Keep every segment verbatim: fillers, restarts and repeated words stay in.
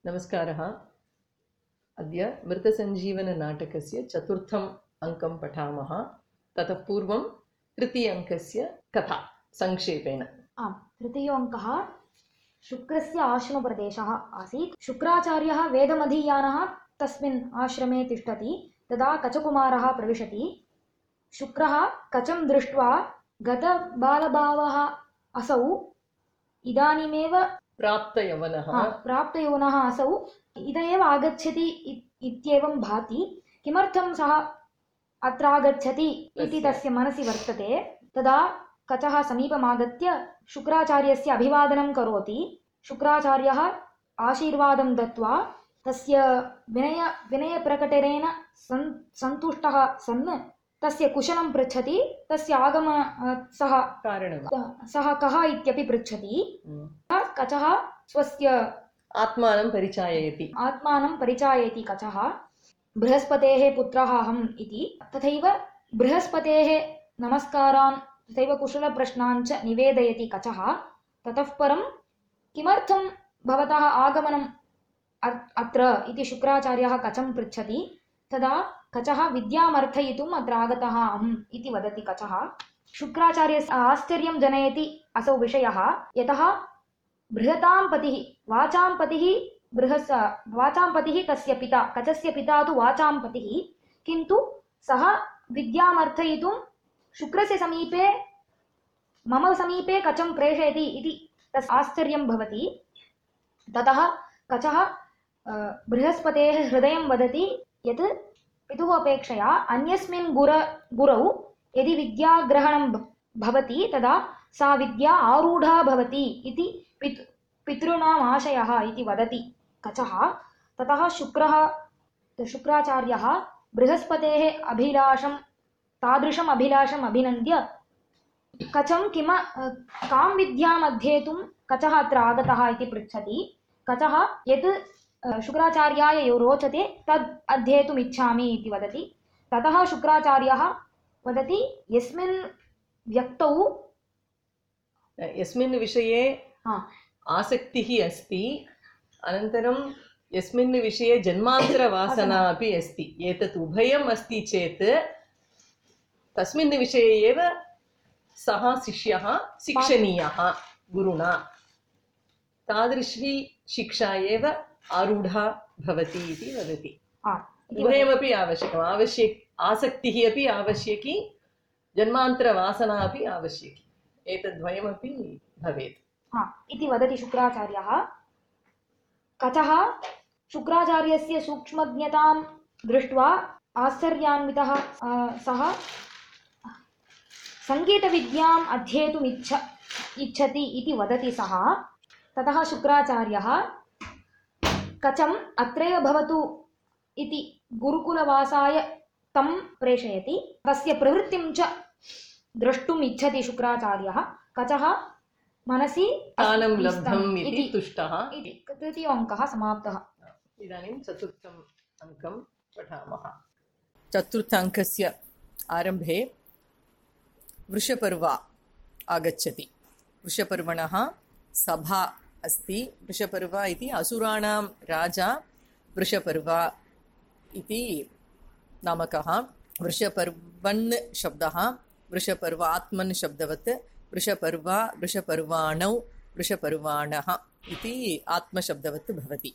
नमस्कारः। अद्य मृतसञ्जीवननाटकस्य चतुर्थम् अङ्कं पठामः। ततः पूर्वं तृतीयङ्कस्य कथा संक्षेपेण। आम्, तृतीयोऽङ्कः शुक्रस्य आश्रमप्रदेशः आसीत्। शुक्राचार्यः वेदमधीयानः तस्मिन् आश्रमे तिष्ठति। तदा कचकुमारः प्रविशति। शुक्रः कचं दृष्ट्वा गतबालभावः असौ इदानीमेव प्राप्तयवनः प्राप्तयौवनः असौ इद एव आगच्छति इत्येवं भाति। किमर्थं सः अत्र आगच्छति इति तस्य मनसि वर्तते। तदा कचः समीपमागत्य शुक्राचार्यस्य अभिवादनं करोति। शुक्राचार्यः आशीर्वादं दत्वा तस्य विनय विनयप्रकटनेन सन् सन्तुष्टः सन् तस्य कुशलं पृच्छति। तस्य आगम सः कारणं सः कः इत्यपि पृच्छति। कचः स्वस्य आत्मानं परिचाययति आत्मानं परिचाययति कचः। बृहस्पतेः पुत्रः अहम् इति। तथैव बृहस्पतेः नमस्कारान् तथैव कुशलप्रश्नान् च निवेदयति कचः। ततः परं किमर्थं भवतः आगमनम् अत्र इति शुक्राचार्यः कचं पृच्छति। तदा कचः विद्यामर्थयितुम् अत्र आगतः अहम् इति वदति कचः। शुक्राचार्यस्य आश्चर्यं जनयति असौ विषयः। यतः बृहतां पतिः वाचां पतिः बृहस् वाचां पतिः तस्य पिता कचस्य पिता तु वाचां पतिः, किन्तु सः विद्यामर्थयितुं शुक्रस्य समीपे मम समीपे कचं प्रेषयति इति तस्य आश्चर्यं भवति। ततः कचः बृहस्पतेः हृदयं वदति यत् पितुः अपेक्षया अन्यस्मिन् गुर गुरौ यदि विद्याग्रहणं भवति तदा सा विद्या आरूढा भवति इति पितृ पितॄणाम् आशयः इति वदति कचः। ततः शुक्रः शुक्राचार्यः बृहस्पतेः अभिलाषं तादृशम् अभिलाषम् अभिनन्द्य कचं किम कां विद्याम् अध्येतुं कचः अत्र आगतः इति पृच्छति। कचः यत् शुक्राचार्याय यो रोचते तद् अध्येतुम् इच्छामि इति वदति। ततः शुक्राचार्यः वदति यस्मिन् व्यक्तौ यस्मिन् विषये आसक्तिः अस्ति, अनन्तरं यस्मिन् विषये जन्मान्तरवासना अपि अस्ति, एतत् उभयम् अस्ति चेत् तस्मिन् विषये एव सः शिष्यः शिक्षणीयः गुरुणा। तादृशी शिक्षा एव आरूढा भवति इति वदति। उभयमपि आवश्यकम् आवश्यक आसक्तिः अपि आवश्यकी, जन्मान्तरवासना अपि आवश्यकी, एतद्वयमपि भवेत् इति वदति शुक्राचार्यः। कचः शुक्राचार्यस्य सूक्ष्मज्ञतां दृष्ट्वा आश्चर्यान्वितः सः सङ्गीतविद्याम् अध्येतुम् इच्छ इच्छति इति वदति सः। ततः शुक्राचार्यः कचम् अत्रैव भवतु इति गुरुकुलवासाय तं प्रेषयति। तस्य प्रवृत्तिं च द्रष्टुम् इच्छति शुक्राचार्यः। कचः मनसि स्थानं लब्धम् इति तुष्टः। तृतीयोऽङ्कः समाप्तः। इदानीं चतुर्थम् अङ्कं पठामः। चतुर्थाङ्कस्य आरम्भे वृषपर्व आगच्छति। वृषपर्वणः सभा अस्ति। वृषपर्व इति असुराणां राजा वृषपर्व इति नामकः। वृषपर्वन् शब्दः वृषपर्व आत्मन् शब्दवत् वृषपर्व वृषपर्वाणौ वृषपर्वाणः इति आत्मशब्दवत् भवति।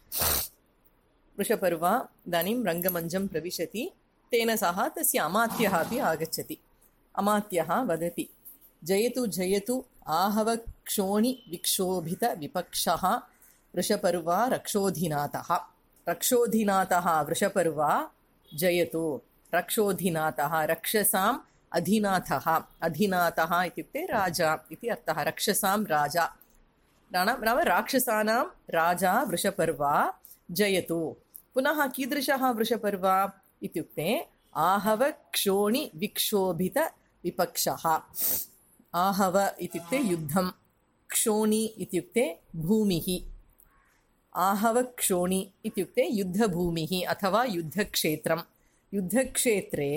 वृषपर्व इदानीं रङ्गमञ्चं प्रविशति। तेन सह तस्य अमात्यः अपि आगच्छति। अमात्यः वदति जयतु जयतु आहवक्षोणि विक्षोभित विपक्षः वृषपर्व रक्षोधिनाथः। रक्षोधिनाथः वृषपर्व जयतु। रक्षोधिनाथः रक्षसाम् अधिनाथः। अधिनाथः इत्युक्ते राजा इति अर्थः। रक्षसां राजा नाम राक्षसानां राजा वृषपर्व जयतु। पुनः कीदृशः वृषपर्व इत्युक्ते आहव क्षोणि विक्षोभित विपक्षः। आहव इत्युक्ते युद्धं, क्षोणि इत्युक्ते भूमिः। आहव क्षोणि इत्युक्ते युद्धभूमिः अथवा युद्धक्षेत्रं। युद्धक्षेत्रे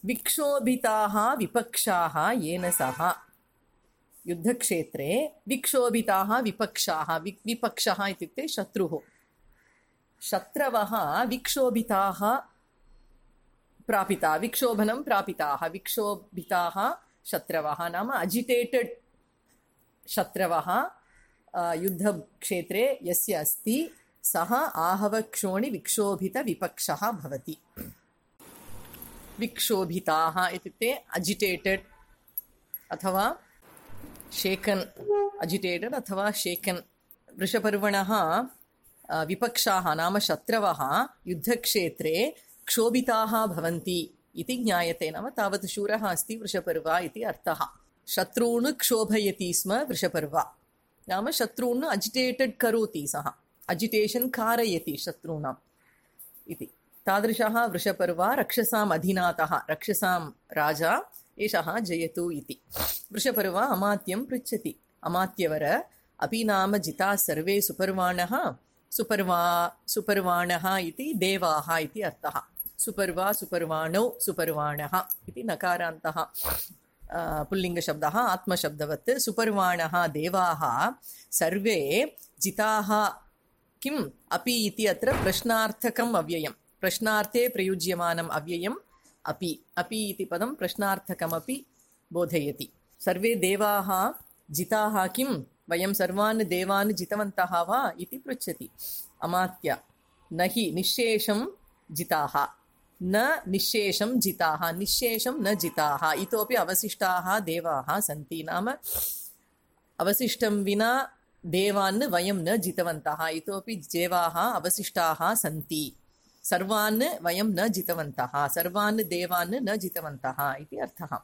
विक्षोभिताः विपक्षाः येन सह। युद्धक्षेत्रे विक्षोभिताः विपक्षाः, वि विपक्षः इत्युक्ते शत्रुः। शत्रवः विक्षोभिताः प्रापिता विक्षोभनं प्रापिताः विक्षोभिताः शत्रवः नाम अजिटेटेड् शत्रवः युद्धक्षेत्रे यस्य अस्ति सः आहवक्षोणि विक्षोभितविपक्षः भवति। विक्षोभिताः इत्युक्ते अजिटेटेड् अथवा शेकन् अजिटेटेड् अथवा शेकन्। वृषपर्वणः विपक्षाः नाम शत्रवः युद्धक्षेत्रे क्षोभिताः भवन्ति इति ज्ञायते। नाम तावत् शूरः अस्ति वृषपर्वा इति अर्थः। शत्रून् क्षोभयति स्म वृषपर्वा नाम शत्रून् अजिटेटेड् करोति, सः अजिटेशन् कारयति शत्रूणाम् इति। तादृशः वृषपर्वा रक्षसाम् अधिनाथः, रक्षसां राजा एषः जयतु इति। वृषपर्वा अमात्यं पृच्छति, अमात्यवर अपि नाम जिताः सर्वे सुपर्वाणः। सुपर्वा सुपर्वाणः इति देवाः इति अर्थः। सुपर्वा सुपर्वाणौ सुपर्वाणः इति नकारान्तः पुल्लिङ्गशब्दः आत्मशब्दवत्। सुपर्वाणः देवाः सर्वे जिताः किम् अपि इति अत्र प्रश्नार्थकम् अव्ययम्, प्रश्नार्थे प्रयुज्यमानम् अव्ययम् अपि। अपि इति पदं प्रश्नार्थकमपि बोधयति। सर्वे देवाः जिताः किम्, वयं सर्वान् देवान् जितवन्तः वा इति पृच्छति अमात्य। न हि निःशेषं जिताः, न निःशेषं जिताः, निःशेषं न जिताः, इतोपि अवशिष्टाः देवाः सन्ति। नाम अवशिष्टं विना देवान् वयं न जितवन्तः, इतोपि देवाः अवशिष्टाः सन्ति। सर्वान् वयं न जितवन्तः, सर्वान् देवान् न जितवन्तः इति अर्थः।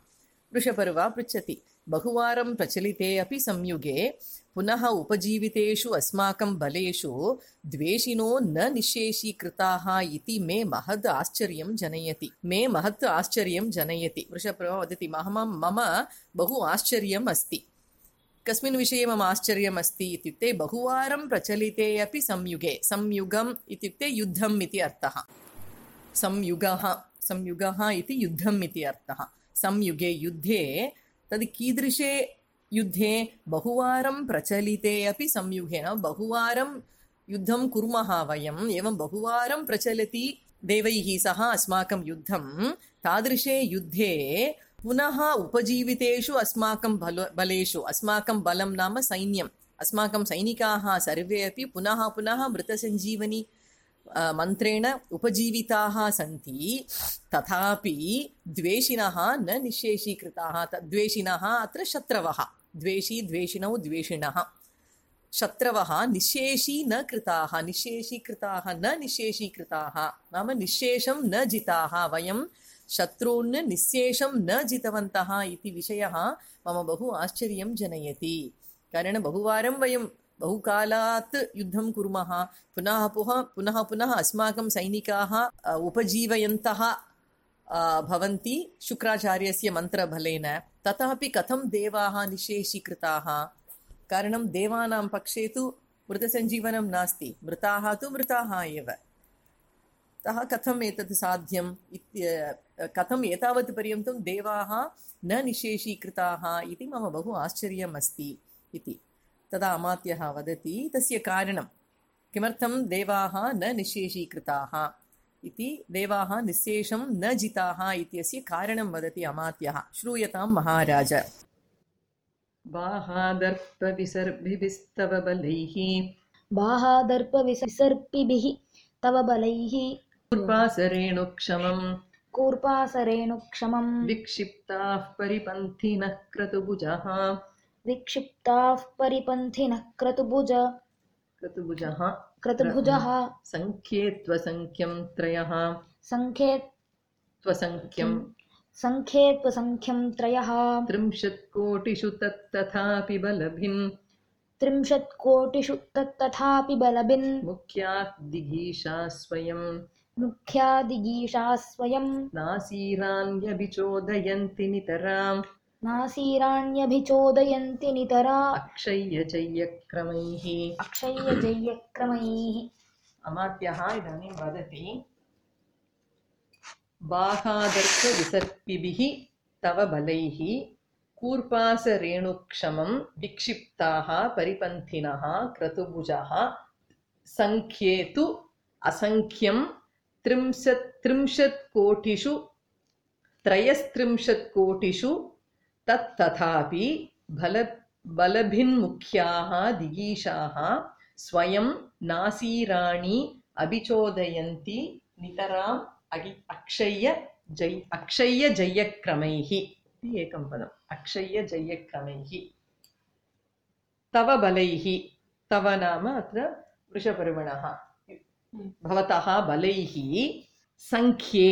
वृषपर्वा पृच्छति, बहुवारं प्रचलिते अपि संयुगे पुनः उपजीवितेषु अस्माकं बलेषु द्वेषिनो न निःशेषीकृताः इति मे महद् आश्चर्यं जनयति। मे महत् आश्चर्यं जनयति। वृषपर्वा वदति, मम मम बहु आश्चर्यम् अस्ति। कस्मिन् विषये मम आश्चर्यम् अस्ति इत्युक्ते बहुवारं प्रचलिते अपि संयुगे। संयुगम् इत्युक्ते युद्धम् इति अर्थः। संयुगः संयुगः इति युद्धम् इति अर्थः। संयुगे युद्धे तद् कीदृशे युद्धे बहुवारं प्रचलिते अपि संयुगे, न बहुवारं युद्धं कुर्मः वयम्, एवं बहुवारं प्रचलति देवैः सह अस्माकं युद्धं। तादृशे युद्धे पुनः उपजीवितेषु अस्माकं बल बलेषु, अस्माकं बलं नाम सैन्यम्, अस्माकं सैनिकाः सर्वे अपि पुनः पुनः मृतसञ्जीवनी मन्त्रेण उपजीविताः सन्ति। तथापि द्वेषिणः न निःशेषीकृताः। द्वेषिणः अत्र शत्रवः, द्वेषी द्वेषिणौ द्वेषिणः। शत्रवः निःशेषी न कृताः, निःशेषीकृताः न निःशेषीकृताः नाम निःशेषं न जिताः। वयं शत्रून् निःशेषं न जितवन्तः इति विषयः मम बहु आश्चर्यं जनयति। कारणं बहुवारं वयं बहुकालात् युद्धं कुर्मः, पुनः पुनः पुनः पुनः अस्माकं सैनिकाः उपजीवयन्तः भवन्ति शुक्राचार्यस्य मन्त्रबलेन। तथापि कथं देवाः निःशेषीकृताः? कारणं देवानां पक्षे तु मृतसञ्जीवनं नास्ति, मृताः तु मृताः एव। अतः कथम् एतत् साध्यम् इत्य कथम् एतावत् पर्यन्तं देवाः न निःशेषीकृताः इति मम बहु आश्चर्यम् अस्ति इति। तदा अमात्यः वदति, तस्य कारणं किमर्थं देवाः न निःशेषीकृताः इति, देवाः निःशेषं न जिताः इत्यस्य कारणं वदति अमात्यः। श्रूयतां महाराज। बाहादर्पविसर्पिभिस्तव बलैः बाहादर्पविसर्पिभिः तव बलैः कूर्पासरेणुक्षमम् कूर्पासरेणुक्षमम् विक्षिप्ताः परिपन्थिनः क्रतुभुजः विक्षिप्ताः परिपन्थिनः क्रतुभुज क्रतुभुजः क्रतुभुजः संख्ये त्वसंख्यं त्रयः संख्ये त्वसंख्यं संख्ये त्वसंख्यं त्रयः त्रिंशत्कोटिषु तत्तथापि बलभिन् त्रिंशत्कोटिषु तत्तथापि बलभिन् मुख्याः दिगीषा स्वयं मुख्यादिगीषा स्वयं नासीरान्यभिचोदयन्ति नितराम् नासीराण्यभिचोदयन्ति नितरा अक्षय्यजय्यक्रमैः अक्षय्यजय्यक्रमैः। अमात्यः इदानीं वदति, बाहादर्पविसर्पिभिः तव बलैः कूर्पासरेणुक्षमं विक्षिप्ताः परिपन्थिनः क्रतुभुजः संख्ये तु असङ्ख्यं त्रिंशत् त्रिंशत् कोटिषु त्रयस्त्रिंशत् कोटिषु तत् तथापि बल बलभिन्मुख्याः दिगीषाः स्वयं नासीराणि अभिचोदयन्ति नितराम् अक्षय्य जय अक्षय्य जयक्रमैः इति एकं पदम् अक्षय्य जयक्रमैः तव बलैः तव नाम अत्र वृषपर्वणः भवतः बलैः संख्ये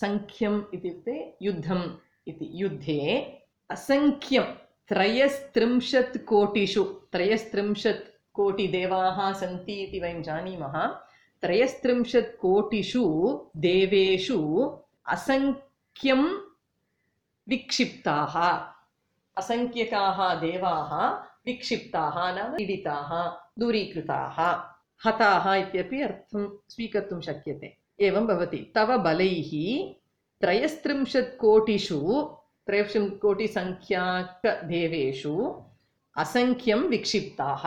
संख्यम् इत्युक्ते युद्धम् इति युद्धे असंख्यं त्रयस्त्रिंशत् कोटिषु त्रयस्त्रिंशत् कोटिदेवाः सन्ति इति वयं जानीमः त्रयस्त्रिंशत् कोटिषु देवेषु असंख्यं विक्षिप्ताः असंख्यकाः देवाः विक्षिप्ताः नाम पीडिताः दूरीकृताः हताः इत्यपि अर्थं स्वीकर्तुं शक्यते एवं भवति तव बलैः त्रयस्त्रिंशत् कोटिषु त्रयस्त्रिंशत् कोटिसंख्याकदेवेषु असंख्यं विक्षिप्ताः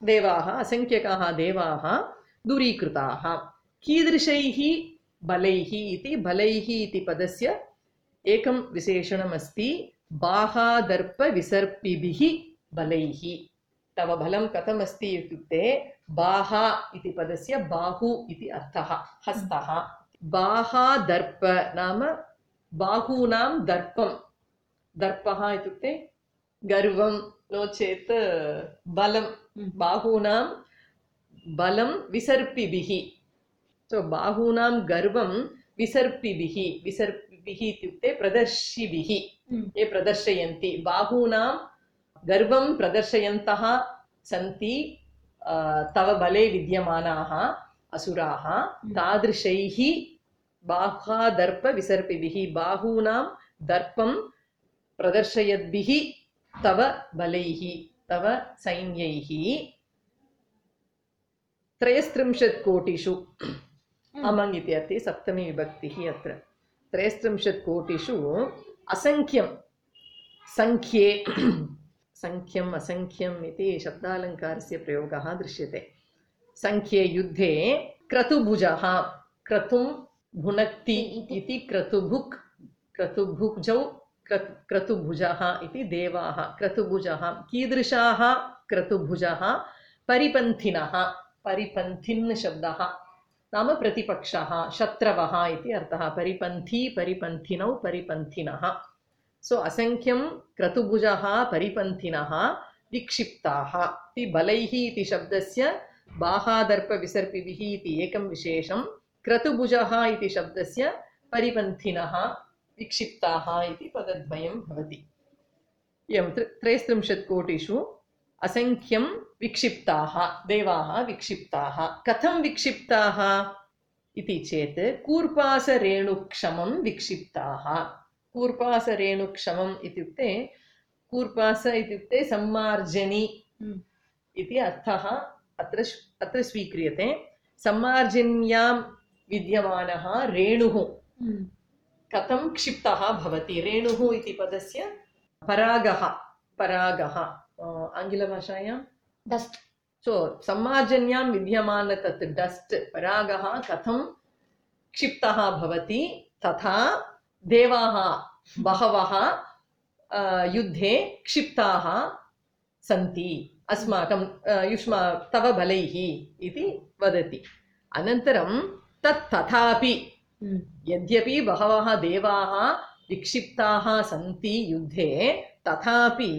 देवाः असंख्यकाः देवाः दूरीकृताः कीदृशैः बलैः इति बलैः इति पदस्य एकं विशेषणमस्ति बाहादर्पविसर्पिभिः बलैः तव बलं कथमस्ति इत्युक्ते बाहा इति पदस्य बाहु इति अर्थः हस्तः बाहादर्प नाम बाहूनां दर्पं दर्पः इत्युक्ते गर्वं नो चेत् बलं बाहूनां बलं विसर्पिभिः सो बाहूनां गर्वं विसर्पिभिः विसर्पिभिः इत्युक्ते प्रदर्शिभिः ये प्रदर्शयन्ति बाहूनां गर्वं प्रदर्शयन्तः सन्ति तव बले विद्यमानाः असुराः तादृशैः बाहादर्पविसर्पिभिः बाहूनां दर्पं प्रदर्शयद्भिः तव बलैः तव सैन्यैः त्रयस्त्रिंशत् कोटिषु अमङ् इति अर्थे सप्तमी विभक्तिः अत्र त्रयस्त्रिंशत् कोटिषु असंख्यं संख्ये संख्यम् असंख्यम् इति शब्दालङ्कारस्य प्रयोगः दृश्यते संख्ये युद्धे क्रतुभुजः क्रतुं भुनक्ति इति क्रतुभुक् क्रतुभुजौ क्रतुभुजः इति देवाः क्रतुभुजः कीदृशाः क्रतुभुजः परिपन्थिनः परिपन्थिन् शब्दः नाम प्रतिपक्षः शत्रवः इति अर्थः परिपन्थी परिपन्थिनौ परिपन्थिनः सो असंख्यं क्रतुभुजः परिपन्थिनः विक्षिप्ताः इति बलैः इति शब्दस्य बाहादर्पविसर्पिभिः इति एकं विशेषं क्रतुभुजः इति शब्दस्य परिपन्थिनः विक्षिप्ताः इति पदद्वयं भवति एवं त्रयस्त्रिंशत् कोटिषु असंख्यं विक्षिप्ताः देवाः विक्षिप्ताः कथं विक्षिप्ताः इति चेत् कूर्पासरेणुक्षमं विक्षिप्ताः कूर्पासरेणुक्षमम् इत्युक्ते कूर्पास इत्युक्ते सम्मार्जनी इति अर्थः अत्र अत्र स्वीक्रियते सम्मार्जन्यां विद्यमानः रेणुः कथं क्षिप्तः भवति रेणुः इति पदस्य परागः परागः आङ्ग्लभाषायां डस्ट् सो सम्मार्जन्यां विद्यमान तत् डस्ट् परागः कथं क्षिप्तः भवति तथा देवाः बहवः युद्धे क्षिप्ताः सन्ति अस्माकं युष्मा तव बलैः इति वदति अनन्तरं तत् तथापि यद्यपि बहवः देवाः विक्षिप्ताः सन्ति युद्धे तथापि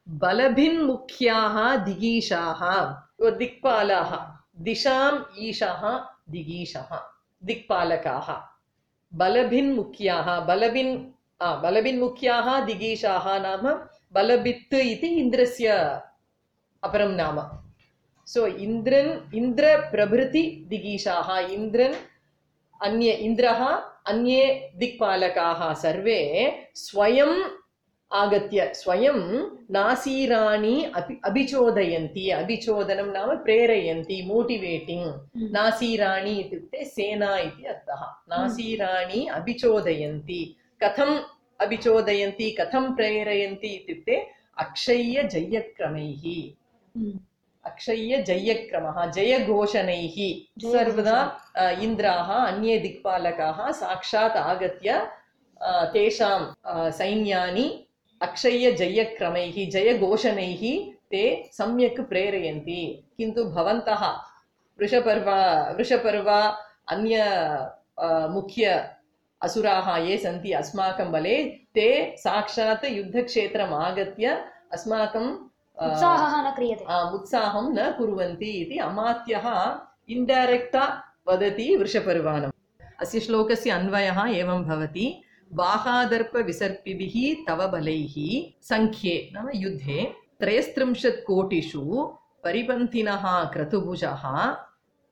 बलभिन्मुख्याः दिगीषाः दिक्पालाः दिशाम् ईशः दिगीषः दिक्पालकाः बलभिन्मुख्याः बलभिन् बलभिन्मुख्याः दिगीषाः नाम बलभित् इति इन्द्रस्य अपरं नाम सो इन्द्रन् इन्द्रप्रभृति दिगीषाः इन्द्रन् अन्ये इन्द्रः अन्ये दिक्पालकाः सर्वे स्वयं आगत्य स्वयं नासीराणि अपि अभिचोदयन्ति अभिचोदनं नाम प्रेरयन्ति मोटिवेटिंग नासीराणि इत्युक्ते सेना इति अर्थः नासीराणि अभिचोदयन्ति कथम् अभिचोदयन्ति कथं प्रेरयन्ति इत्युक्ते अक्षय्य जयक्रमैः अक्षय्य जयक्रमः जयघोषणैः सर्वदा इन्द्राः अन्ये दिक्पालकाः साक्षात् आगत्य तेषां सैन्यानि अक्षय्य जयक्रमैः जयघोषणैः ते सम्यक् प्रेरयन्ति। किन्तु भवन्तः वृषपर्वा वृषपर्वा अन्य मुख्य असुराः ये सन्ति अस्माकं बले ते साक्षात् युद्धक्षेत्रम् आगत्य अस्माकं उत्साहः न क्रियते उत्साहं न कुर्वन्ति इति अमात्यः इन्डैरेक्टा वदति वृषपर्वाणम्। अस्य श्लोकस्य अन्वयः एवं भवति बाहादर्पविसर्पिभिः तव बलैः संख्ये नाम युद्धे त्रयस्त्रिंशत् कोटिषु परिपन्थिनः क्रतुभुजः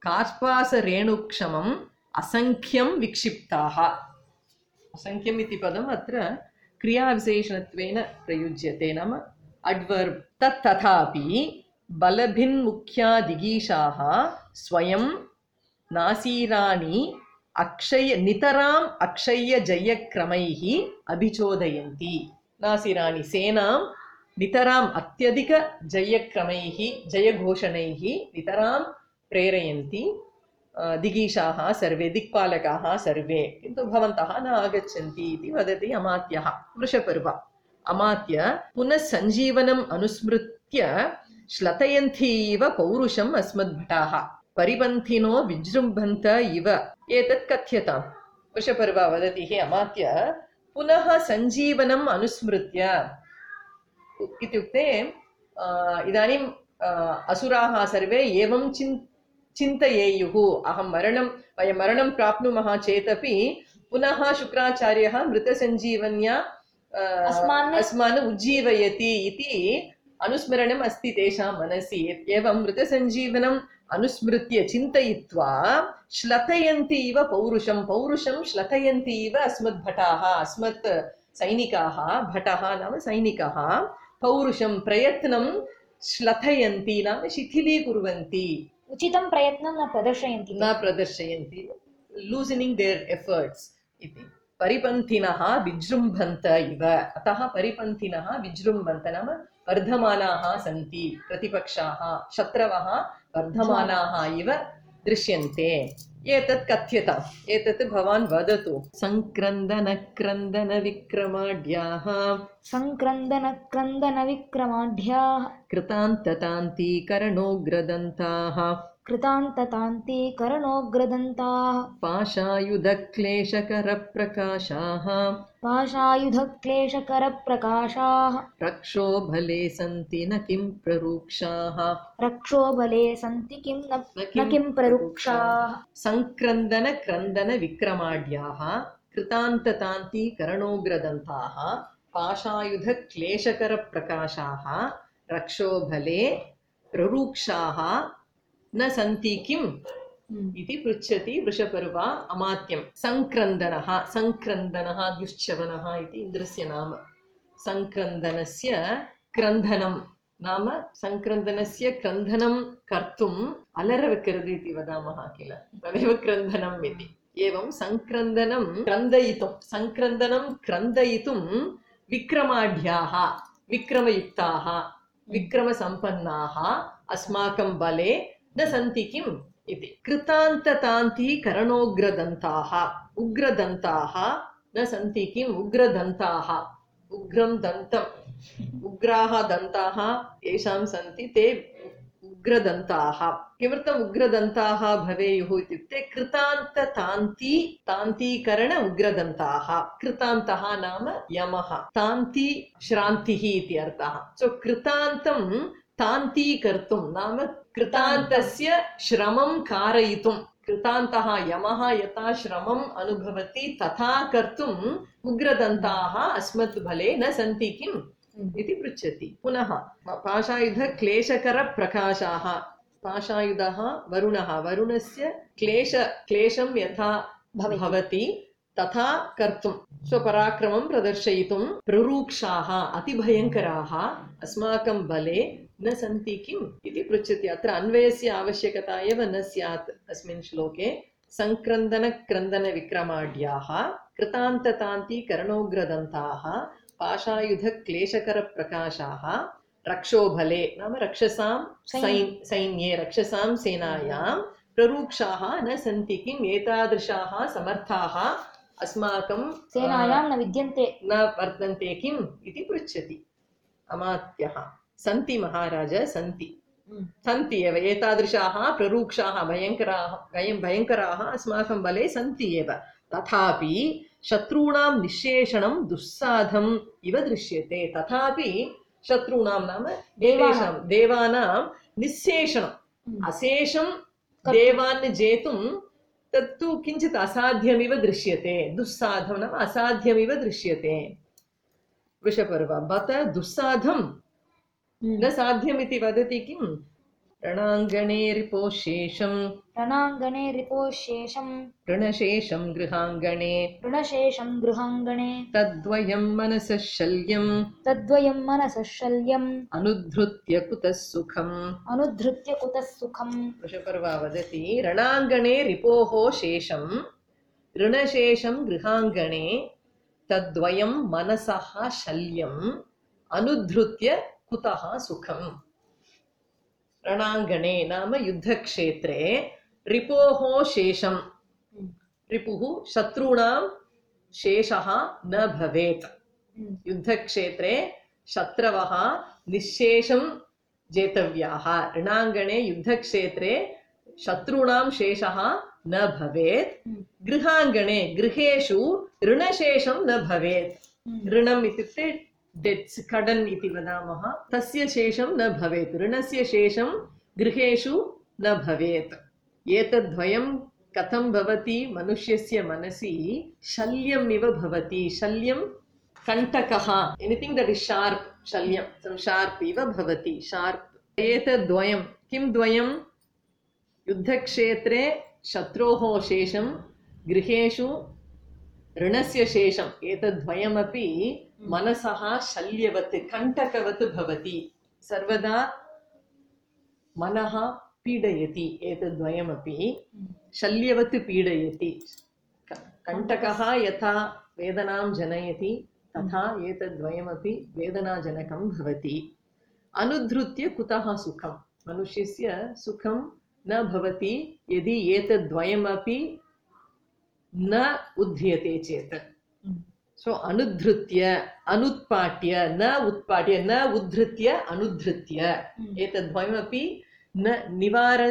कार्पासरेणुक्षमम् असंख्यं विक्षिप्ताः। असंख्यम् इति पदम् अत्र क्रियाविशेषणत्वेन प्रयुज्यते नाम अड्वर्ब्। तत् तथापि बलभिन्मुख्यादिगीषाः स्वयं नासीराणि अक्षय नितराम् अक्षय्य जयक्रमैः अभिचोदयन्ति। नासीराणि सेनां नितराम् अत्यधिक जयक्रमैः जयघोषणैः नितरां प्रेरयन्ति दिगीषाः सर्वे दिक्पालकाः सर्वे, किन्तु भवन्तः न आगच्छन्ति इति वदति अमात्यः वृषपर्वा। अमात्य पुनः सञ्जीवनम् अनुस्मृत्य श्लथयन्ति इव पौरुषम् अस्मद्भटाः परिपन्थिनो विजृम्भन्त इव एतत् कथ्यताम्। वृषपर्वा वदति हे अमात्य पुनः सञ्जीवनम् अनुस्मृत्य इत्युक्ते इदानीम् असुराः सर्वे एवं चिन् चिन्तयेयुः अहं मरणं वयं मरणं प्राप्नुमः चेदपि पुनः शुक्राचार्यः मृतसञ्जीवन्या अस्मान् उज्जीवयति इति अनुस्मरणम् अस्ति तेषां मनसि। एवं मृतसञ्जीवनम् अनुस्मृत्य चिन्तयित्वा श्लथयन्ति इव पौरुषं पौरुषं श्लथयन्ति इव अस्मद्भटाः अस्मत् सैनिकाः। भटः नाम सैनिकः पौरुषं प्रयत्नं श्लथयन्ति नाम शिथिलीकुर्वन्ति, उचितं प्रयत्नं न प्रदर्शयन्ति न प्रदर्शयन्ति लूसनिङ्ग् देर् एफर्ट्स् इति। परिपन्थिनः विजृम्भन्त इव, अतः परिपन्थिनः विजृम्भन्त नाम वर्धमानाः सन्ति, प्रतिपक्षाः शत्रवः वर्धमानाः इव दृश्यन्ते। एतत् कथ्यताम्, एतत् भवान् वदतु। सङ्क्रन्दनक्रन्दनविक्रमाढ्याः सङ्क्रन्दनक्रन्दनविक्रमाढ्याः कृतान्ततान्तीकरणोग्रदन्ताः कृतान्ततान्तीकरणोग्रदन्ताः पाशायुधक्लेशकरप्रकाशाः पाशायुधक्लेशकरप्रकाशाः रक्षोबले सन्ति न किं प्ररुक्षाः रक्षोबले सन्ति किं न किं प्ररुक्षाः। सङ्क्रन्दनक्रन्दनविक्रमाढ्याः कृतान्ततान्तीकरणोग्रदन्ताः पाशायुधक्लेशकरप्रकाशाः रक्षोबले प्ररुक्षाः न सन्ति किम् इति पृच्छति वृषपर्वा अमात्यं। सङ्क्रन्दनः सङ्क्रन्दनः दुश्चवनः इति इन्द्रस्य नाम। सङ्क्रन्दनस्य क्रन्दनं नाम सङ्क्रन्दनस्य क्रन्दनं कर्तुम् अलरविकरद् इति वदामः किल, तदेव क्रन्दनम् इति। एवं सङ्क्रन्दनं क्रन्दयितुं सङ्क्रन्दनं क्रन्दयितुं विक्रमाढ्याः विक्रमयुक्ताः विक्रमसम्पन्नाः अस्माकं बले न सन्ति किम् इति। कृतान्ततान्तीकरणोग्रदन्ताः उग्रदन्ताः न सन्ति किम् उग्रदन्ताः उग्रं दन्तम् उग्राः दन्ताः येषां सन्ति ते उग्रदन्ताः। किमर्थम् उग्रदन्ताः भवेयुः इत्युक्ते कृतान्ततान्ती तान्तीकरण उग्रदन्ताः। कृतान्तः नाम यमः, तान्ती श्रान्तिः इति अर्थः। सो कृतान्तं तान्तीकर्तुं नाम कृतान्तस्य श्रमं कारयितुं, कृतान्तः यमः यथा श्रमम् अनुभवति तथा कर्तुम् उग्रदन्ताः अस्मत् बले न सन्ति किम् इति पृच्छति। पुनः पाशायुधक्लेशकरप्रकाशाः, पाशायुधः वरुणः, वरुणस्य क्लेश क्लेशं यथा भवति तथा कर्तुं स्वपराक्रमं प्रदर्शयितुं प्ररूक्षाः अतिभयङ्कराः अस्माकं बले न सन्ति किम् इति पृच्छति। अत्र अन्वयस्य आवश्यकता एव न स्यात् अस्मिन् श्लोके। सङ्क्रन्दनक्रन्दनविक्रमाढ्याः कृतान्ततान्तीकरणोग्रदन्ताः पाशायुधक्लेशकरप्रकाशाः रक्षोबले नाम रक्षसां सैन्ये रक्षसां सेनायां प्ररूक्षाः न सन्ति किम् एतादृशाः समर्थाः अस्माकं सेनायां न विद्यन्ते न वर्तन्ते किम् इति पृच्छति अमात्यः। सन्ति महाराज सन्ति सन्ति एव एतादृशाः प्ररूक्षाः भयङ्कराः भयं भयङ्कराः अस्माकं बले सन्ति एव तथापि शत्रूणां निःशेषणं दुस्साधम् इव दृश्यते। तथापि शत्रूणां नाम देवानां देवानां निःशेषणम् अशेषं देवान् जेतुं तत्तु किञ्चित् असाध्यमिव दृश्यते। दुस्साधं नाम असाध्यमिव दृश्यते। वृषपर्व बत दुस्साधं न साध्यमिति वदति किम् रणाङ्गणे रिपोशेषं रणाङ्गणे रिपोशेषं ऋणशेषं गृहाङ्गणे ऋणशेषं गृहाङ्गणे तद्वयं मनसः शल्यम् तद्वयं मनसः शल्यम् अनुद्धृत्य कुतः सुखम् अनुद्धृत्य कुतः सुखम्। वृषपर्व वदति रणाङ्गणे रिपोः शेषं ऋणशेषं गृहाङ्गणे तद्वयं मनसः शल्यम् अनुद्धृत्य कुतः सुखम्। रणाङ्गणे नाम युद्धक्षेत्रे रिपोः शेषं रिपुः शत्रूणां शेषः न भवेत्। युद्धक्षेत्रे शत्रवः निःशेषं जेतव्याः। रणाङ्गणे युद्धक्षेत्रे शत्रूणां शेषः न भवेत्। गृहाङ्गणे गृहेषु ऋणशेषं न भवेत्। ऋणम् इत्युक्ते डेट्स् कडन् इति वदामः तस्य शेषं न भवेत्। ऋणस्य शेषं गृहेषु न भवेत्। एतद्द्वयं कथं भवति मनुष्यस्य मनसि शल्यम् इव भवति। शल्यं कण्टकः एनिथिङ्ग् दट् इस् शार्प् शल्यं सम् शार्प् इव भवति शार्प्। एतद्द्वयं किं द्वयं युद्धक्षेत्रे शत्रोः शेषं गृहेषु ऋणस्य शेषम् एतद्द्वयमपि मनसः शल्यवत् कण्टकवत् भवति। सर्वदा मनः पीडयति। एतद्द्वयमपि शल्यवत् पीडयति। कण्टकः यथा वेदनां जनयति तथा एतद्द्वयमपि वेदनाजनकं भवति। अनुद्धृत्य कुतः सुखम् मनुष्यस्य सुखं न भवति यदि एतद्द्वयमपि न उद्ध्रियते चेत्। सो अनुद्धृत्य अनुत्पाट्य न उत्पाट्य न उद्धृत्य अनुद्धृत्य एतद्द्वयमपि न निवार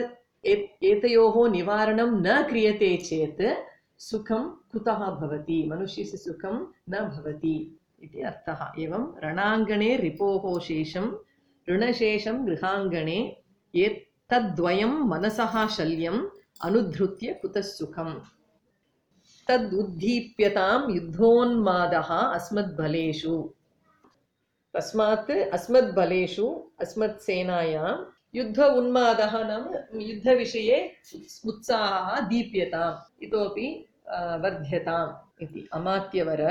एतयोः निवारणं न क्रियते चेत् सुखं कुतः भवति मनुष्यस्य सुखं न भवति इति अर्थः। एवं रणाङ्गणे रिपोः शेषं ऋणशेषं गृहाङ्गणे एतद्द्वयं मनसः शल्यम् अनुद्धृत्य कुतः सुखम्। तदुद्दीप्यतां युद्धोन्मादः अस्मद्बलेषु। तस्मात् अस्मद्बलेषु अस्मत्सेनायां युद्ध उन्मादः नाम युद्धविषये उत्साहः दीप्यताम् इतोपि वर्ध्यताम् इति। अमात्यवर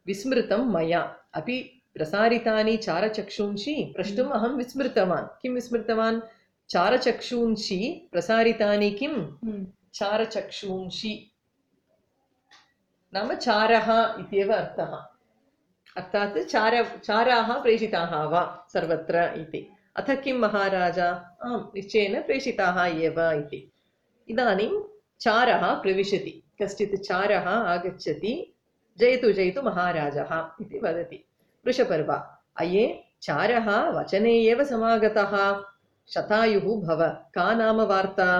विस्मृतं मया अपि प्रसारितानि चारचक्षुंषि प्रष्टुम् अहं विस्मृतवान्। किं विस्मृतवान् चारचक्षुंषि प्रसारितानि किं चारचक्षुंषि नाम चारः इत्येव अर्थः। अर्थात् चार चाराः प्रेषिताः वा सर्वत्र इति। अथ किं महाराजा आम् निश्चयेन प्रेषिताः एव इति। इदानीं चारः प्रविशति। कश्चित् चारः आगच्छति जयतु जयतु महाराजः इति वदति। वृषपर्व अये चारः वचने एव समागतः शतायुः भव का नाम वार्ता।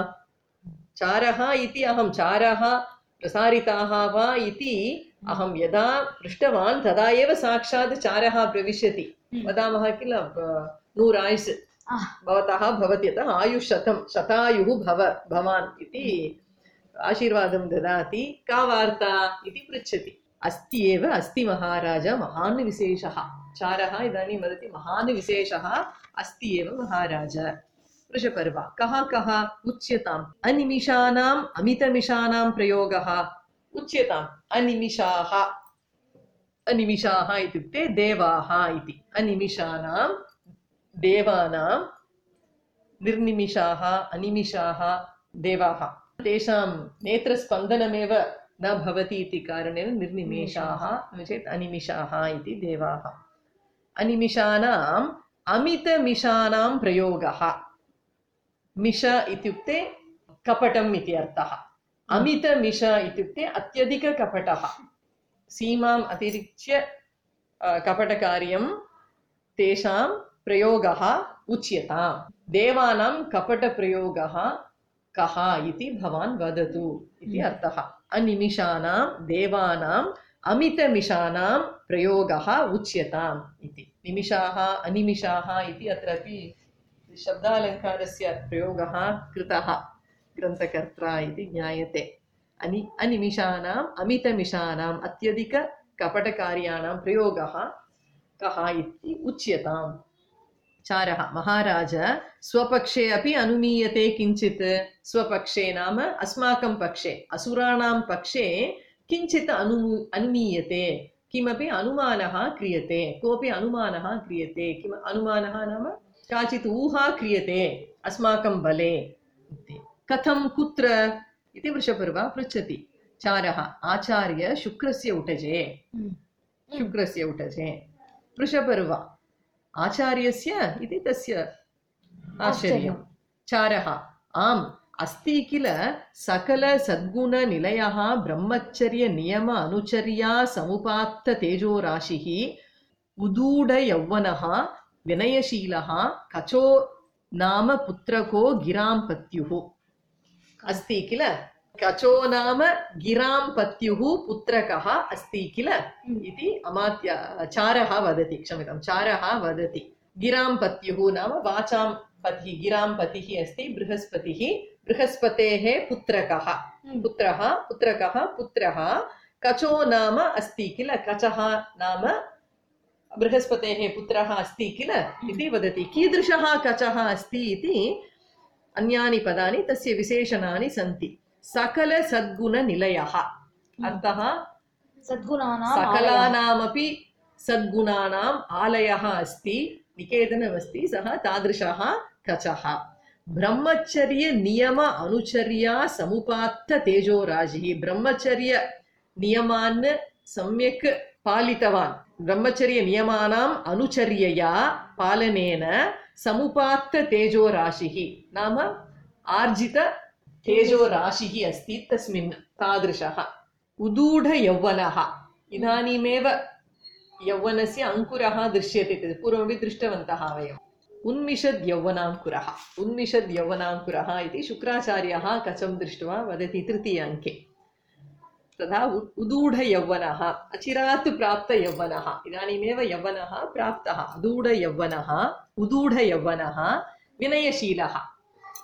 चारः इति अहं चारः प्रसारिताः वा इति अहं यदा पृष्टवान् तदा एव साक्षात् चारः प्रविशति। वदामः किल नूर आयुस् भवतः भवति अतः आयुष्शतं शतायुः भव भवान् इति आशीर्वादं ददाति। का वार्ता इति पृच्छति। अस्ति एव अस्ति महाराज महान् विशेषः। चारः इदानीं वदति महान् विशेषः अस्ति एव महाराज। वृषपर्व कः कः उच्यताम्। अनिमिषाणाम् अमितमिषाणां प्रयोगः उच्यताम्। अनिमिषाः अनिमिषाः इत्युक्ते देवाः इति। अनिमिषाणां देवानां निर्निमिषाः अनिमिषाः देवाः तेषां नेत्रस्पन्दनमेव न भवति इति कारणेन निर्निमेषाः नो चेत् अनिमिषाः इति देवाः। अनिमिषाणां अमितमिषाणां प्रयोगः। मिष इत्युक्ते कपटम् इति अर्थः। अमितमिष इत्युक्ते अत्यधिककपटः। सीमाम् अतिरिच्य कपटकार्यं तेषां प्रयोगः उच्यताम्। देवानां कपटप्रयोगः कः इति भवान् वदतु इति अर्थः। अनिमिषाणां देवानाम् अमितमिषाणां प्रयोगः उच्यताम् इति। निमिषाः अनिमिषाः इति अत्रापि शब्दालङ्कारस्य प्रयोगः कृतः ग्रन्थकर्त्रा इति ज्ञायते। अनि अनिमिषाणाम् अमितमिषाणाम् अत्यधिककपटकार्याणां प्रयोगः कः इति उच्यताम्। चारः महाराज स्वपक्षे अपि अनुमीयते किञ्चित्। स्वपक्षे नाम अस्माकं पक्षे, असुराणां पक्षे किञ्चित् अनु अनुमीयते, किमपि अनुमानः क्रियते, कोऽपि अनुमानः क्रियते। किम् अनुमानः नाम काचित् ऊहा क्रियते अस्माकं बले। कथं कुत्र इति वृषपर्वा पृच्छति। चारः आचार्य शुक्रस्य उटजे। शुक्रस्य उटजे वृषपर्वा आचार्यस्य इति तस्य आश्चर्यं। चारः आम् अस्ति किल सकल सद्गुण निलयः ब्रह्मचर्य नियम अनुचर्या समुपात्त तेजो राशिः उदूढ यौवनः विनयशीलः कचो नाम पुत्रको गिरां पत्युः। अस्ति किल कचो नाम गिरां पत्युः पुत्रकः अस्ति किल इति अमात्य चारः वदति। क्षम्यतां, चारः वदति। गिरां पत्युः नाम वाचां पतिः, गिरां पतिः अस्ति बृहस्पतिः। बृहस्पतेः पुत्रकः, पुत्रः पुत्रकः पुत्रः कचो नाम अस्ति किल, कचः नाम बृहस्पतेः पुत्रः अस्ति किल इति वदति। कीदृशः कचः अस्ति इति अन्यानि पदानि तस्य विशेषणानि सन्ति। सकल सद्गुण निलयः अर्थः सद्गुणानां सकलानामपि सद्गुणानाम् आलयः अस्ति, निकेतनमस्ति, सः तादृशः कचः। ब्रह्मचर्य नियम अनुचर्या समुपात्त तेजोराजिः। ब्रह्मचर्य नियमान् सम्यक् पालितवान्। ब्रह्मचर्य नियमानाम् अनुचर्यया पालनेन समुपात्त तेजोराशिः नाम आर्जित तेजोराशिः अस्ति तस्मिन्, तादृशः। उदूढ यौवनः इदानीमेव यौवनस्य अङ्कुरः दृश्यते, पूर्वमपि दृष्टवन्तः वयम्। उन्मिषद् यौवनाङ्कुरः, उन्मिषद् यौवनाङ्कुरः इति शुक्राचार्यः कचं दृष्ट्वा वदति तृतीय अङ्के। तथा उदूढ यौवनः अचिरात् प्राप्त यौवनः, इदानीमेव यौवनः प्राप्तः। उदूढ यौवनः, उदूढ यौवनः विनयशीलः,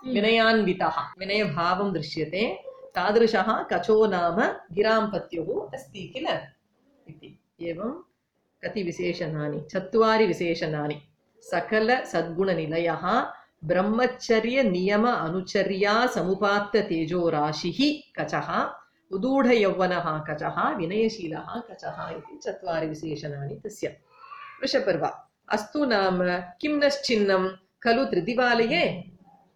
विनयान्वितः, विनयभावं दृश्यते, तादृशः कचो नाम गिरां पत्युः अस्ति किल इति। एवं कति विशेषणानि, चत्वारि विशेषणानि। सकल सद्गुणनिलयः ब्रह्मचर्य नियम अनुचर्या समुपात्त तेजोराशिः कचः, उदूढ यौवनः कचः, विनयशीलः कचः इति चत्वारि विशेषणानि तस्य। वृषपर्वा अस्तु नाम किं नश्चिन्नं खलु त्रिदिवालये।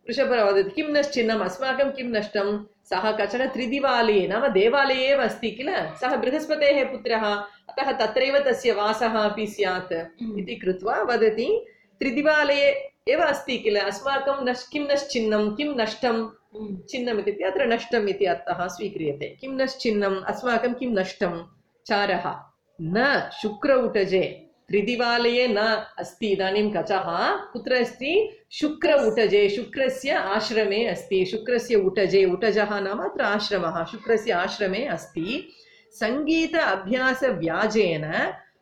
वृषपर्वा वदति किं नश्चिन्नम्, अस्माकं किं नष्टं। सः कचन त्रिदिवालये नाम देवालये एव अस्ति किल, सः बृहस्पतेः पुत्रः, अतः तत्रैव तस्य वासः अपि स्यात् इति कृत्वा वदति त्रिदिवालये एव अस्ति किल, अस्माकं नश् किं नश्चिन्नं, किं नष्टं। चिन्नम् इत्युक्ते अत्र नष्टम् इति अर्थः स्वीक्रियते। किं नश्चिन्नम्, अस्माकं किं नष्टं। चारः न शुक्र उटजे, त्रिदिवालये न अस्ति इदानीं कचः, कुत्र अस्ति, शुक्र उटजे, शुक्रस्य आश्रमे अस्ति। शुक्रस्य उटजे, उटजः नाम अत्र आश्रमः, शुक्रस्य आश्रमे अस्ति। सङ्गीत अभ्यास व्याजेन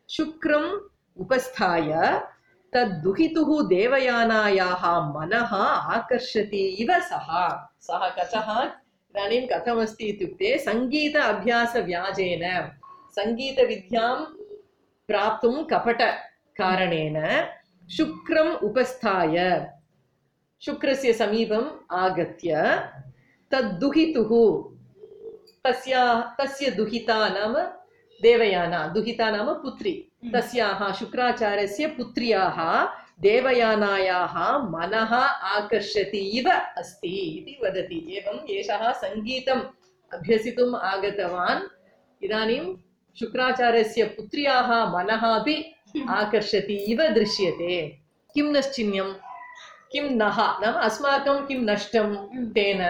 शुक्रम् उपस्थाय तद्दुहितुः देवयानायाः मनः आकर्षति इव सः। सः कचः इदानीं कथमस्ति इत्युक्ते सङ्गीत अभ्यास व्याजेन, सङ्गीतविद्यां प्राप्तुं कपटकारणेन शुक्रम् उपस्थाय, शुक्रस्य समीपम् आगत्य तद्दुहितुः, तस्या तस्य दुहिता नाम देवयाना, दुहिता नाम पुत्री, तस्याः शुक्राचार्यस्य पुत्र्याः देवयानायाः मनः आकर्षति इव अस्ति इति वदति। एवं एषः सङ्गीतम् अभ्यसितुम् आगतवान्, इदानीं शुक्राचार्यस्य पुत्र्याः मनः अपि आकर्षति इव दृश्यते। किं नश्चिन्यं किं नः नाम अस्माकं किं नष्टं तेन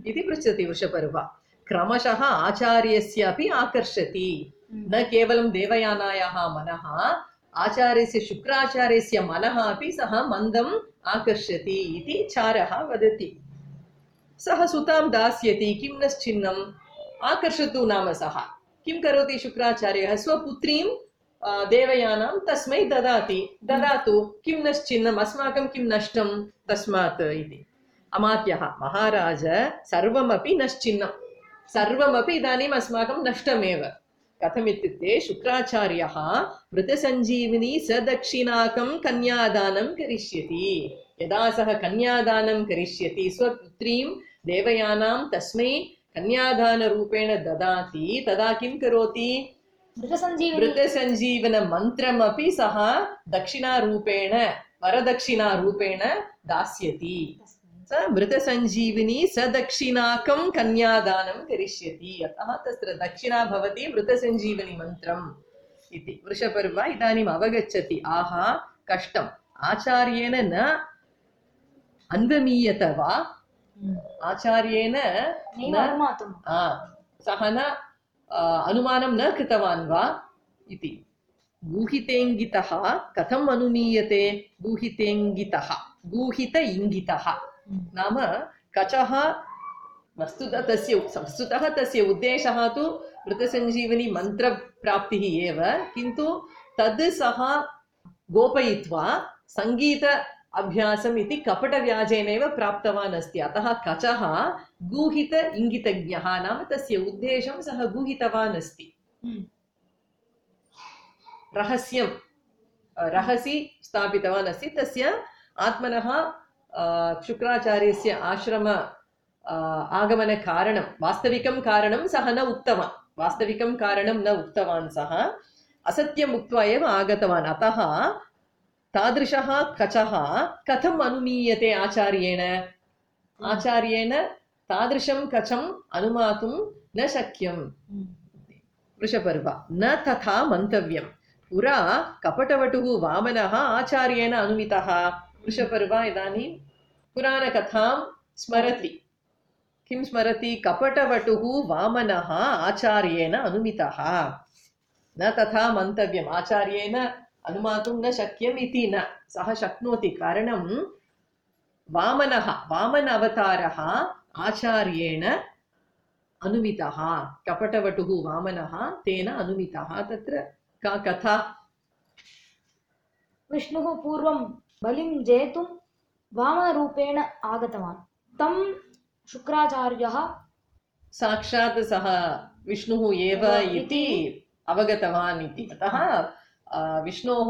इति पृच्छति वृषपर्वा। क्रमशः आचार्यस्यापि आकर्षति, न केवलं देवयानायाः मनः, आचार्यस्य शुक्राचार्यस्य मनः अपि सः मन्दम् आकर्षति इति चारः वदति। सः सुतां दास्यति, किं नश्चिन्नम् आकर्षतु नाम सः किं करोति शुक्राचार्यः स्वपुत्रीं देवयानां तस्मै ददाति, ददातु किं नश्चिन्नम् अस्माकं किं नष्टं तस्मात् इति। अमात्यः महाराज सर्वमपि नश्चिन्नं, सर्वमपि इदानीम् अस्माकं नष्टमेव। कथमित्युक्ते शुक्राचार्यः मृतसञ्जीविनी सदक्षिणाकं कन्यादानं करिष्यति। यदा सः कन्यादानं करिष्यति स्वपुत्रीं देवयानां तस्मै कन्यादानरूपेण ददाति, तदा किं करोति? मृतसञ्जीवන मन्त्रमपि सः दक्षिणारूपेण वरदक्षिणारूपेण दास्यति। स मृतसञ्जीविनी सदक्षिणाकं कन्यादानं करिष्यति। अतः तत्र दक्षिणा भवति मृतसञ्जीवनी मन्त्रम् इति। वृषपर्वा इदानीम् अवगच्छति, आहा कष्टम्, आचार्येण न अन्वमीयत वा, आचार्येण सः न अनुमानं न कृतवान् वा इति। गूहितेङ्गितः कथम् अनुमीयते? गूहितेङ्गितः गूहित इङ्गितः नाम कचः वस्तुतः तस्य वस्तुतः तस्य उद्देशः तु मृतसञ्जीवनी मन्त्रप्राप्तिः एव, किन्तु तद् सः गोपयित्वा सङ्गीत अभ्यासम् इति कपटव्याजेनैव प्राप्तवान् अस्ति। अतः कचः गूहित इङ्गितज्ञः नाम तस्य उद्देशं सः गूहितवान् अस्ति। रहस्यं रहसि स्थापितवान् अस्ति। तस्य आत्मनः शुक्राचार्यस्य आश्रम आगमनकारणं वास्तविकं कारणं सः न उक्तवान्, वास्तविकं कारणं न उक्तवान्, सः असत्यम् उक्त्वा एव आगतवान्। अतः तादृशः कचः कथम् अनुमीयते आचार्येण? आचार्येण तादृशं कचम् अनुमातुं न शक्यम्। वृषपर्वा न तथा मन्तव्यं, पुरा कपटवटुः वामनः आचार्येण अनुमितः। वृषपर्वा इदानीं पुराणकथां स्मरति। किं स्मरति? कपटवटुः वामनः आचार्येण अनुमितः। न तथा मन्तव्यम्, आचार्येण अनुमातुं न शक्यम् इति न, सः शक्नोति। कारणं वामनः वामन अवतारः आचार्येण अनुमितः, कपटवटुः वामनः तेन अनुमितः। तत्र का कथा? विष्णुः पूर्वं बलिं जेतुं वामनरूपेण आगतवान्, तं शुक्राचार्यः साक्षात् सः विष्णुः एव इति अवगतवान् इति। अतः विष्णोः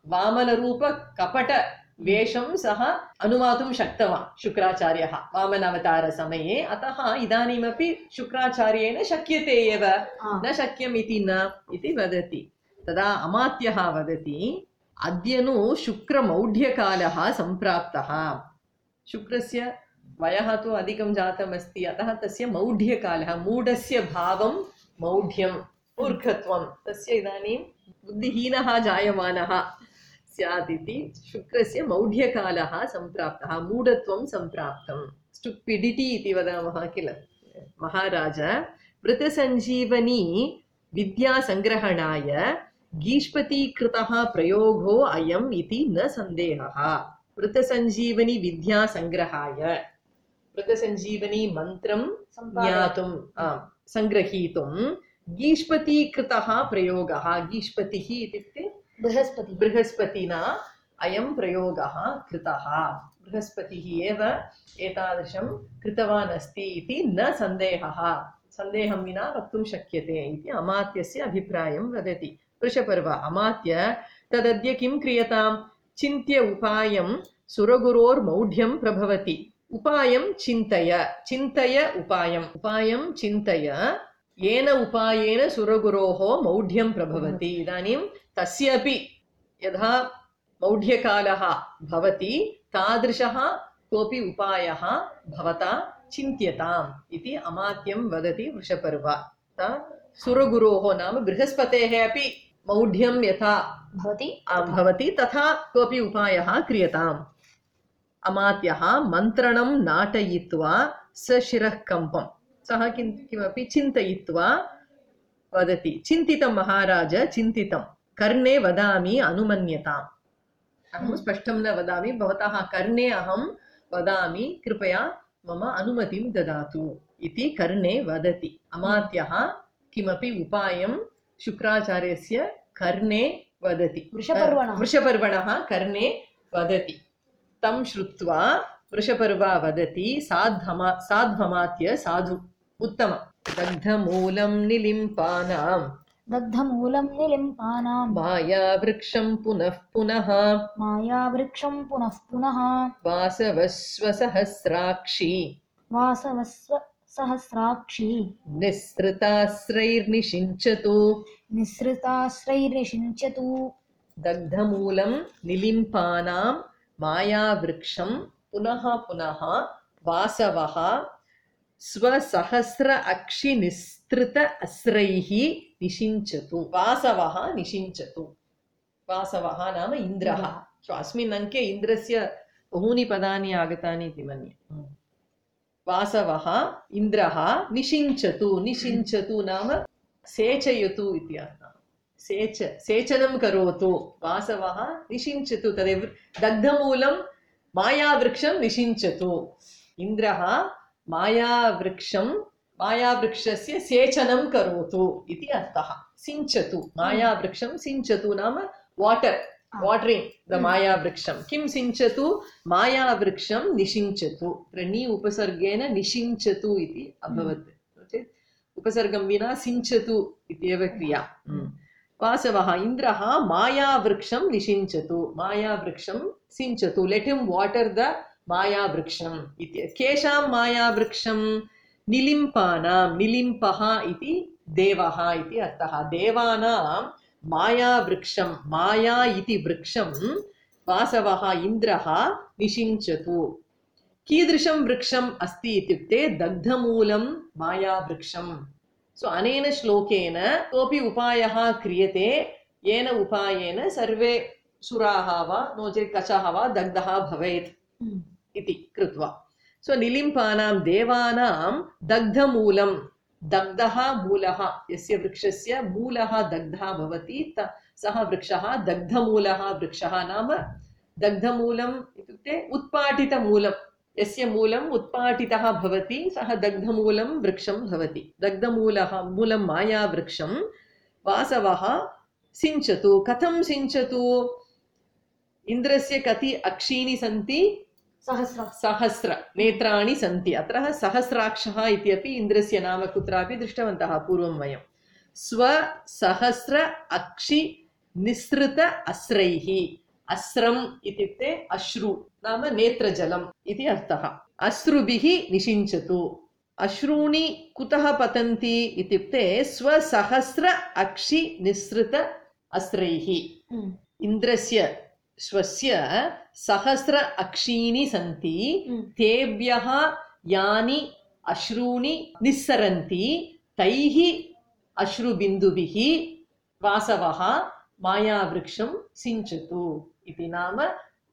वामनरूप कपट वेषं सः अनुमातुं शक्तवान् शुक्राचार्यः वामनावतारसमये। अतः इदानीमपि शुक्राचार्येण शक्यते एव, न शक्यम् इति न इति वदति। तदा अमात्यः वदति, अद्यनु शुक्रमौढ्यकालः सम्प्राप्तः। शुक्रस्य वयः तु अधिकं जातमस्ति, अतः तस्य मौढ्यकालः, मूढस्य भावं मौढ्यं मूर्खत्वं, तस्य इदानीं बुद्धिहीनः जायमानः स्यात् इति। शुक्रस्य मौढ्यकालः सम्प्राप्तः, मूढत्वं सम्प्राप्तं, स्टुपिडिटी इति वदामः किल। महाराज मृतसञ्जीवनी विद्यासङ्ग्रहणाय गीष्पतीकृतः प्रयोगो अयम् इति न सन्देहः। मृतसञ्जीवनी विद्यासङ्ग्रहाय, मृतसञ्जीवनी मन्त्रं ज्ञातुं सङ्ग्रहीतुं गीष्पतीकृतः प्रयोगः। गीष्पतिः इत्युक्ते बृहस्पति, बृहस्पतिना अयं प्रयोगः कृतः। बृहस्पतिः एव एतादृशं कृतवान् अस्ति इति न सन्देहः, सन्देहं विना वक्तुं शक्यते इति अमात्यस्य अभिप्रायं वदति। वृषपर्वा अमात्य तदद्य किं क्रियतां? चिन्त्य उपायं सुरगुरोर्मौढ्यं प्रभवति। उपायं चिन्तय, चिन्तय उपायम्, उपायं चिन्तय, येन उपायेन सुरगुरोः मौढ्यं प्रभवति। इदानीं तस्यापि यथा मौढ्यकालः भवति तादृशः कोऽपि उपायः भवता चिन्त्यताम् इति अमात्यं वदति वृषपर्वा। सुरगुरोः नाम बृहस्पतेः अपि मौढ्यं यथा भवति भवति तथा कोऽपि उपायः क्रियताम्। अमात्यः मन्त्रणं नाटयित्वा सशिरः कम्पं सः किं किमपि चिन्तयित्वा वदति। चिन्तितं महाराज चिन्तितं कर्णे वदामि अनुमन्यताम्। अहं स्पष्टं न वदामि, भवतः कर्णे अहं वदामि, कृपया मम अनुमतिं ददातु इति कर्णे वदति। अमात्यः किमपि उपायं शुक्राचार्यस्य कर्णे वदति। वृषपर्वणः वृषपर्वणः कर्णे वदति। तं श्रुत्वा वृषपर्वा वदति साध्वमा साध्वमात्य साधु उत्तम। दग्धमूलं निलिम्पानां दग्धमूलं निलिम्पानां मायावृक्षं पुनः पुनः मायावृक्षं पुनः पुनः वासवस्वसहस्राक्षी वासवस्व सहस्राक्षी निःसृताश्रैर्निषिञ्चतु निःसृताश्रैर्निषिञ्चतु दग्धमूलं निलिम्पानां मायावृक्षं पुनः पुनः वासवः स्वसहस्र अक्षि निस्तृत अस्रैः निषिञ्चतु। वासवः निषिञ्चतु। वासवः नाम इन्द्रः। सो अस्मिन् अङ्के इन्द्रस्य बहूनि पदानि आगतानि इति मन्ये। वासवः इन्द्रः निषिञ्चतु। निषिञ्चतु नाम सेचयतु इति अर्थः। सेच सेचनं करोतु। वासवः निषिञ्चतु। तदेव दग्धमूलं मायावृक्षं निषिञ्चतु। इन्द्रः मायावृक्षं मायावृक्षस्य सेचनं करोतु इति अर्थः। सिञ्चतु मायावृक्षं सिञ्चतु नाम वाटर् वाटरिङ्ग् द मायावृक्षं। किं सिञ्चतु? मायावृक्षं निषिञ्चतु। नी उपसर्गेण निषिञ्चतु इति अभवत्। उपसर्गं विना सिञ्चतु इत्येव क्रिया। वासवः इन्द्रः मायावृक्षं निषिञ्चतु। मायावृक्षं सिञ्चतु। लेट् हिम् वाटर् द मायावृक्षम् इति। केषां मायावृक्षं? निलिम्पानां। निलिम्पः इति देवः इति अर्थः। देवानां मायावृक्षं माया इति वृक्षं वासवः इन्द्रः निषिञ्चतु। कीदृशं वृक्षम् अस्ति इत्युक्ते दग्धमूलं मायावृक्षं। सो अनेन श्लोकेन कोऽपि उपायः क्रियते येन उपायेन सर्वे सुराः वा नो चेत् कचः वा दग्धः भवेत् इति कृत्वा। सो निलिम्पानां देवानां दग्धमूलं दग्धः मूलः यस्य वृक्षस्य मूलः दग्धः भवति सः वृक्षः दग्धमूलः वृक्षः नाम दग्धमूलम् इत्युक्ते उत्पाटितमूलं यस्य मूलम् उत्पाटितः भवति सः दग्धमूलं वृक्षं भवति। दग्धमूलः मूलं मायावृक्षं वासवः सिञ्चतु। कथं सिञ्चतु? इन्द्रस्य कति अक्षीणि सन्ति? सहस्र सहस्र नेत्राणि सन्ति। अत्र सहस्राक्षः इत्यपि इन्द्रस्य नाम कुत्रापि दृष्टवन्तः पूर्वं वयं। स्वसहस्र अक्षि निःसृत अस्रैः। अस्रम् इत्युक्ते अश्रु नाम नेत्रजलम् इति अर्थः। अश्रुभिः निषिञ्चतु। अश्रूणि कुतः पतन्ति इत्युक्ते स्वसहस्र अक्षि निःसृत अस्रैः। इन्द्रस्य स्वस्य सहस्र अक्षीणि सन्ति। तेभ्यः यानि अश्रूणि निस्सरन्ति तैः अश्रुबिन्दुभिः वासवः मायावृक्षं सिञ्चतु इति। नाम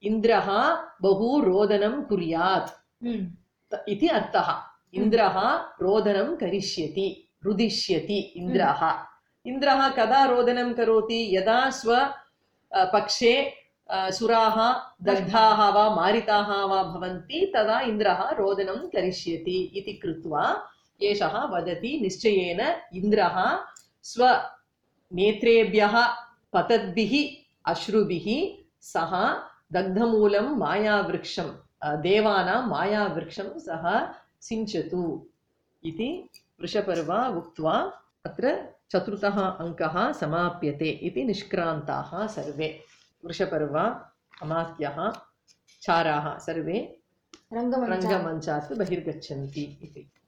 इन्द्रः बहु रोदनं कुर्यात् इति अर्थः। इन्द्रः रोदनं करिष्यति रुदिष्यति इन्द्रः। इन्द्रः कदा रोदनं करोति? यदा स्व पक्षे सुराः दग्धाः वा मारिताः वा भवन्ति तदा इन्द्रः रोदनं करिष्यति इति कृत्वा एषः वदति निश्चयेन इन्द्रः स्वनेत्रेभ्यः पतद्भिः अश्रुभिः सः दग्धमूलं मायावृक्षं देवानां मायावृक्षं सः सिञ्चतु इति वृषपर्वा उक्त्वा अत्र चतुर्थः अङ्कः समाप्यते इति निष्क्रान्ताः सर्वे। वृषपर्वा अमात्यः चाराः सर्वे रङ्गमञ्चात् बहिर्गच्छन्ति इति।